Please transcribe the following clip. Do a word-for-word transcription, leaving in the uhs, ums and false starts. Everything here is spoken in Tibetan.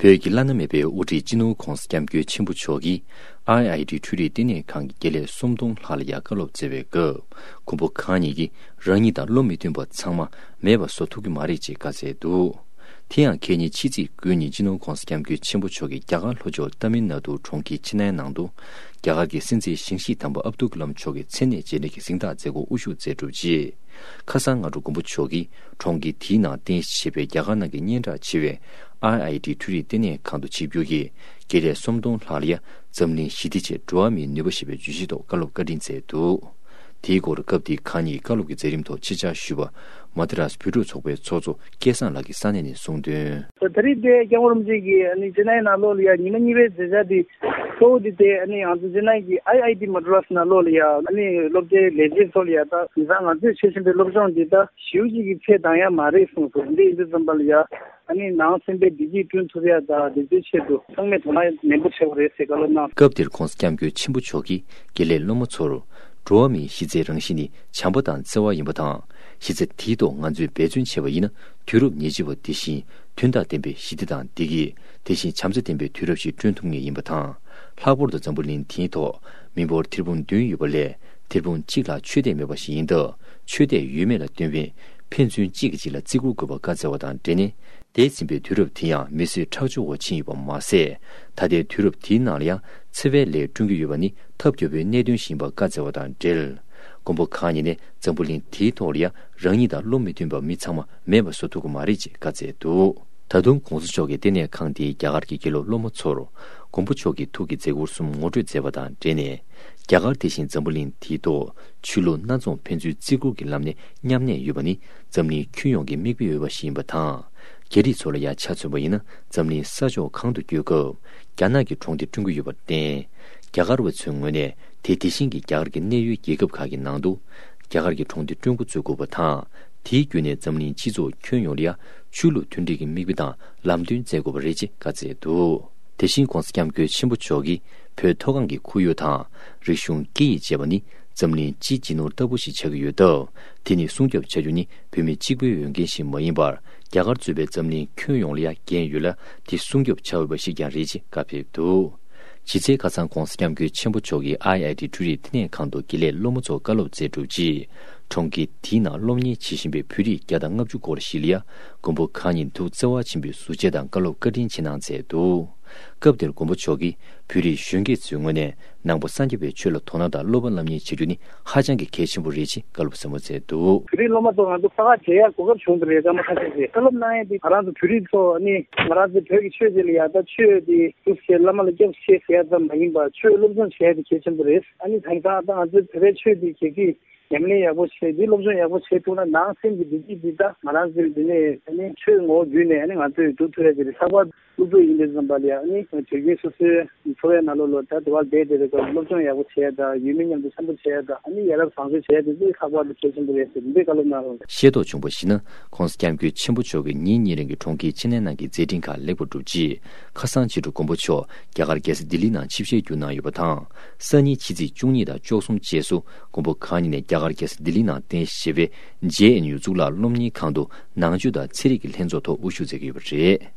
བོད་ཀྱི་བླ་ན་མེད་པའི་དབུ་ཁྲིད་སྤྱི་ནོར་༧གོང་ས་༧སྐྱབས་མགོན་ཆེན་པོ་མཆོག་གིས་ཨའི་ཨའི་ཊི་འཕྲུལ་རིག་ལྟེ་གནས་ཁང་གི་དགེ་ལས་སུམ་སྟོང་ལྷག་ལ་ཡང་བཀའ་སློབ་སྩལ་བའི་སྐབས། མགོན་པོ་གང་ཉིད་ཀྱིས་རང་ཉིད་དང་བློ་མི་མཐུན་པ་ཚང་མ་མེད་པ་བཟོ་ཐུབ་ཀྱི་མ་རེད་ཅེས་བཀའ་སྩལ་འདུག་དེ་ཡང་ཁ་ཉིན་ཕྱི་ཚེས་དགུ་ཉིན་སྤྱི་ནོར་༧གོང་ས་༧སྐྱབས་མགོན་ཆེན་པོ་མཆོག་གིས་རྒྱ་གར་ལྷོ་ཕྱོགས་ཏཱ་མིལ་ནཱ་ཏུ་གྲོང་ཁྱེར་ཆེ་ནའི་ནང་དུ། རྒྱ་གར་གྱི་སྲིད་འཛིན་ཞིང་གཤིས་དམ་པ་ཨབ་དུལ་ཀ་ལམ་མཆོག་གི་མཚན་གནས་རྗེས་དྲན་གྱི་གཟེངས་རྟགས་མཛད་སྒོར་དབུ་བཞུགས་མཛད་གྲུབ་རྗེས། ཁ་སང་སྔ་དྲོ་མགོན་པོ་མཆོག་གིས་གྲོང་ཁྱེར་དེའི་ནང་རྟེན་གཞི་བྱས་པའི་རྒྱ་གར་ནང་གི་སྙན་གྲགས་ཆེ་བའི་ཨའི་ཨའི་ཊི་འཕྲུལ་རིག་ལྟེ་གནས་ཁང་དུ་ཆིབས་བསྒྱུར་གྱིས་དགེ་ལས་སུམ་སྟོང་ལྷག་ལ་ཡ་འཛམ་གླིང་ཞི་བདེ་ཆེད་འགྲོ་བ་མིའི་ནུས་པ་ཞེས་པའི་བརྗོད་གཞིའི་ཐོག་བཀའ་སློབ་བཀའ་དྲིན་སྩལ་འདུག་དེའི་སྐོར་སྐབས་དེའི་ཁ་ཉིན་བཀའ་སློབ་ཀྱི་མཛད་རིམ་ཐོག་ཆེད་བཅར་ཞུས་པ་མ་དི་རཱས་བོད་ཕྲུག་ཚོགས་པའི་ཚོགས་གཙོ་སྐལ་བཟང་ལགས་ཀྱིས་ས་གནས་ནས་གསུངས་དོན། ད་རེས་དེ་སྐྱབས་མགོན་རིན་པོ་ཆེ་གིས་ཨ་ནི་ཅེ་ནའི་ནང་ལོགས་ལ་ཡ་ཉི་མ་གཉིས་པའི་མཛད་འཆར་དེ་གཙོ་བོ་དེ་དེ་ཨ་ནི་ང་ཚོ་ཅེ་ནའི་གི་ཨའི་ཨའི་ཊི་མ་ཌི་རཱས་ནང་ལོགས་ལ་ཡ་ཨ་ནི་སློབ་གྲྭའི་ལས་བྱེད་ཚོ་ལ་ཡ་ད་དེང་སང་ང་ཚོས་བྱེད་བཞིན་པའི་སློབ་སྦྱོང་འདི་ད་ཞེ་པོ་ཅིག་གི་ཚད་འདང་ཡ་མ་རེད་གསུངས་སོང་། འདི་ཡིན་དུས་ཙམ་པ་ལ་ཡ་ཨ་ནི་ནང་སེམས་པའི་བདེ་སྐྱིད་བསྐྲུན་ཐུབ་ཡ་ད་དེ་ཚོའི་ཆེད་དུ་ཚང་མས་དོ་སྣང་ནན་པོ་བྱེད་དགོས་རེད་ཟེར་བཀའ་སློབ་གནང་། སྐབས་དེར་༧གོང་ས་༧སྐྱབས་མགོན་ཆེན་པོ་མཆོག་གིས་དགེ་ལས་སློབ་མ་ཚོར། འགྲོ་བ་མིའི་གཞི་རྩའི་རང་བཞིན་ནི་བྱམས་པ་དང་བརྩེ་བ་ཡིན་པ་དང་། གཞི་རྩ་དེའི་ཐོག་ང་ཚོས་འབད་བརྩོན་བྱས་པ་ཡིན་ན། དུས་རབས་ཉེར་གཅིག་པ་འདི་བཞིན་དོན་དང་ལྡན་པའི་ཞི་བདེ་དང་བདེ་སྐྱིད། དེ་བཞིན་བྱམས་བརྩེ་ལྡན་པའི་དུས་རབས་ཤིག་བསྐྲུན་ཐུབ་ངེས་ཡིན་པ་དང་། ལྷག་པར་དུ་འཛམ་བུ་གླིང་འདིའི་ཐོག་མི་འབོར་ཐེར་འབུམ་བདུན་ཡོད་པ་ལས། ཐེར་འབུམ་གཅིག་ལྷག་ཆོས་དད་མེད་པ་ཞིག་ཡིན་སྟབས། ཆོས་དད་ཡོད་མེད་ལ་བསྟུན་པའི་ཕན་ཚུན་གཅིག་གིས་གཅིག་ལ་བརྩི་བཀུར་དགོས་པ་བཀའ་སྩལ་བ་དང་འབྲེལ་ནས། འདས་ཟིན་པའི་དུས་རབས་དེ་ཡང་མི་གསོད་ཁྲག་སྦྱོར་འོག་ཕྱིན་ཡོད་པ་མ་ཟད། ད་ལྟའི་དུས་རབས་དེའི་ནང་ལ་ཡང་འཚེ་བའི་ལས་བསྐྲུན་གྱི་ཡོད་པ་ནི་ཐབས་སྐྱོ་པོའི་གནད་དོན་ཞིག་ཡིན་པ་བཀའ་སྩལ་བ་དང་འབྲེལ། མགོན་པོ་གང་ཉིད་ནས་འཛམ་བུ་གླིང་དེའི་ཐོག་ལ་ཡང་རང་ཉིད་དང་བློ་མི་མཐུན་པ་མི་ཚང་མ་མེད་པ་བཟོ་ཐུབ་ཀྱི་མ་རེད་ཅེས་བཀའ་སྩལ་འདུག་ད་དུང་གོང་ས་མཆོག་གིས་ལྟེ་གནས་ཁང་དེའི་རྒྱ་གར་གྱི་དགེ་སློབ་སློབ་མ་ཚོར། མགོན་པོ་མཆོག་གི་ཐུགས་ཀྱི་མཛད་ཁུར་གསུམ་ངོ་སྤྲོད་མཛད་པ་དང་འབྲེལ་ནས། རྒྱ་གར་དེ་བཞིན་འཛམ་བུ་གླིང་དེའི་ཐོག་ཆོས་ལུགས་སྣ་ཚོགས་ཕན་ཚུན་བརྩི་བཀུར་གྱི་ལམ་ནས་མཉམ་གནས་ཡོད་པ་ནི་འཛམ་གླིང་ཁྱོན་ཡོངས་ཀྱི་མིག་དཔེ་འོས་པ་ཞིག་ཡིན་པ་དང་། རྒྱ་རིགས་ཚོ་ལ་ཡང་ཆ་མཚོན་པ་ཡིན་ན། འཛམ་གླིང་ས་ཕྱོགས་གང་དུ་བསྐྱོད་སྐབས་རྒྱ་ནག་གི་གྲོང་སྡེ་བསྐྲུན་གྱི་ཡོད་པར་བརྟེན། རྒྱ་གར་བ་ཚོའི་ངོས་ནས་དེ་དེ་བཞིན་གྱི་རྒྱ་གར་གྱི་གནད་ཡོད་རྒྱལ་ཁབ་ཁག་གི་ནང་དུ་རྒྱ་གར་གྱི་གྲོང་སྡེ་བསྐྲུན་འགོ་བཙུགས་དགོས་པ་དང་། དེའི་བརྒྱུད་ནས་འཛམ་གླིང་སྤྱི་ཚོགས་ཁྱོན་ཡོངས་ལ་ཡང་ཆོས་ལུགས་མཐུན་སྒྲིལ་གྱི་མིག་དཔེ་དང་ལམ་སྟོན་མཛད་དགོས་པ་རེད་ཅེས་བཀའ་སྩལ་འདུག་དེ་བཞིན་༧གོང་ས་༧སྐྱབས་མགོན་ཆེན་པོ་མཆོག་གིས་བོད་མཐོ་སྒང་གི་ཁོར་ཡུག་དང་རིག་གཞུང་སྐད་ཡིག་བཅས་པ་ནི་འཛམ་གླིང་སྤྱིའི་རྗེས་ནོར་ལྟ་བུ་ཞིག་ཆགས་ཀྱི་ཡོད་སྟབས། དེ་ནི་སྲུང་སྐྱོབ་བྱ་རྒྱུ་ནི་བོད་མི་གཅིག་པུའི་འོས་འགན་ཞིག་མ་ཡིན་པར། རྒྱ་གར་གཙོས་པའི་འཛམ་གླིང་ཁྱོན་ཡོངས་ལ་ཡང་འགན་ཡོད་ལ། དེ་སྲུང་སྐྱོབ་བྱ་འོས་པ་ཞིག་ཀྱང་རེད་ཅེས་བཀའ་ཕེབས་འདུག་ཕྱི་ཚེས་ཁ་སང་༧གོང་ས་༧སྐྱབས་མགོན་ཆེན་པོ་མཆོག་གིས་ཨའི་ཨའི་ཊི་འཕྲུལ་རིག་ལྟེ་གནས་ཁང་དུ་དགེ་ལས་སློབ་མ་ཚོར་བཀའ་སློབ་སྩལ་གྲུབ་རྗེས། གྲོང་ཁྱེར་དེའི་ནང་སློབ་གཉེར་བྱེད་བཞིན་པའི་བོད་རིགས་བརྒྱ་དང་ལྔ་བཅུ་སྐོར་ཞིག་ལ་ཡང་མགོན་པོ་གང་ཉིད་ཐུགས་བརྩེ་བ་ཆེན་པོས་གཟུགས་བྱད་དང་བཀའ་སློབ་བཀའ་དྲིན་ཆེ་གནང་མཛད་འདུག་སྐབས་དེར་མགོན་པོ་མཆོག་གིས་བོད་རིགས་གཞོན་སྐྱེས་ཚོའི་ངོས་ནས་ནང་པ་སངས་རྒྱས་པའི་ཆོས་ལ་དོ་སྣང་དང་བསླབ་པ་སློབ་གཉེར་བྱེད་རྒྱུ་ནི་ཧ་ཅང་གི་གལ་ཆེན་པོ་རེད་ཅེས་བཀའ་སློབ་ཟབ་མོ་སྩལ་འདུག་བོད་རིགས་སློབ་མ་ཚོ་ང་ཚོ་ས་ཁག་བརྗེ་ཡག་གོ་སྐབས་བྱུང་བ་རེད། སྐར་མ་ཁ་ཤས་ཤིག་བསླབ་གནང་ཡས་དེ་ང་རང་ཚོ་བོད་རིགས་ཚོ་ནི་ང་རང་ཚོ་བོད་ཀྱི་ཆོས་དེ་ལ་ཡག་ད་ཆོས་དེ་སྒྲུབ་བྱེད་བླ་མ་ལ་སྐྱབས་བྱེད་ཟེར་ཡ་ཙམ་མ་ཡིན་པར་ཆོས་སློབ་སྦྱོང་བྱེད་ཡ་དེ་གལ་ཆེན་པོ་རེད། ཨ་ནི་དེང་སང་ད་ང་ཚོའི་བོད་པའི་ཆོས་དེ་རྒྱལ་སྤྱིའི་ཉམས་ལེན་ཡག་པོ་བྱས་ཏེ་སློབ་སྦྱོང་ཡག་པོ་བྱས་ཐུབ་ན་ནང་སེམས་ཀྱི་བདེ་སྐྱིད་འདི་ད་ང་རང་ཚོའི་འདི་ནས་ཨ་ནི་ཆོས་ངོ་བོ་བརྒྱུད་ནས་ཨ་ནི་ང་ཚོས་སྒྲུབ་ཐུབ་ཡ་དེ་རེད། ལྷག་པར་དུ་སློབ་ཕྲུག་ཡིན་པའི་ཙམ་པ་ལ་ཡ་ཨ་ནི་དུས་རྒྱུན་སོ་སོའི་འཚོ་བའི་ནང་ལོགས་ལ་ད་དེ་བར་བསྡད་བསྡད་པའི་སྐབས་སློབ་སྦྱོང་ཡག་པོ་བྱས་ཡ་དང་ཡུལ་མི་མཉམ་དུ་འཆམ་པོ་བྱས་ཡ་དང་ཨ་ནི་ཡ་རབས་བཟང་སྤྱོད་བྱས་ཡ་དེ་ཚོ་ལྷག་པར་དུ་གལ་ཆེན་པོ་རེད་ཟེར་འདི་བཀའ་སློབ་གནང་རོགས། ཤེས་རྟོགས་བྱུང་བར་གཞིགས་ན། ༸གོང་ས་༸སྐྱབས་མགོན་ཆེན་པོ་མཆོག་གིས་ཉིན་གཉིས་རིང་གི་གྲོང་ཁྱེར་ཆེ་ནའི་ནང་གི་མཛད་འཕྲིན་ཁག་ལེགས་པར་གྲུབ་རྗེས། ཁ་སང་ཕྱི་དྲོ་མགོན་པོ་མཆོག་རྒྱ་གར་རྒྱལ་ས་ལྡི་ལིའི་ནང་ཆིབས་ཞལ་བསྒྱུར་གནང་ཡོད་པ་དང་། སང་ཉིན་ཕྱི་ཚེས་བཅུ་གཉིས་དང་བཅུ་གསུམ་བཅས་སུ་མགོན་པོ་གང་ཉིད་ནས་རྒྱ་གར་རྒྱལ་ས་ལྡི་ལིའི་ནང་རྟེན་གཞི་བྱས་པའི་ཇེ་ཨེན་ཡུ་གཙུག་ལག་སློབ་གཉེར་ཁང་དུ་ནང་ཆོས་དང་ཚན་རིག་གི་ལྷན་ཚོགས་ཐོག་དབུ་བཞུགས་མཛད་ཀྱི་ཡོད་པ་རེད།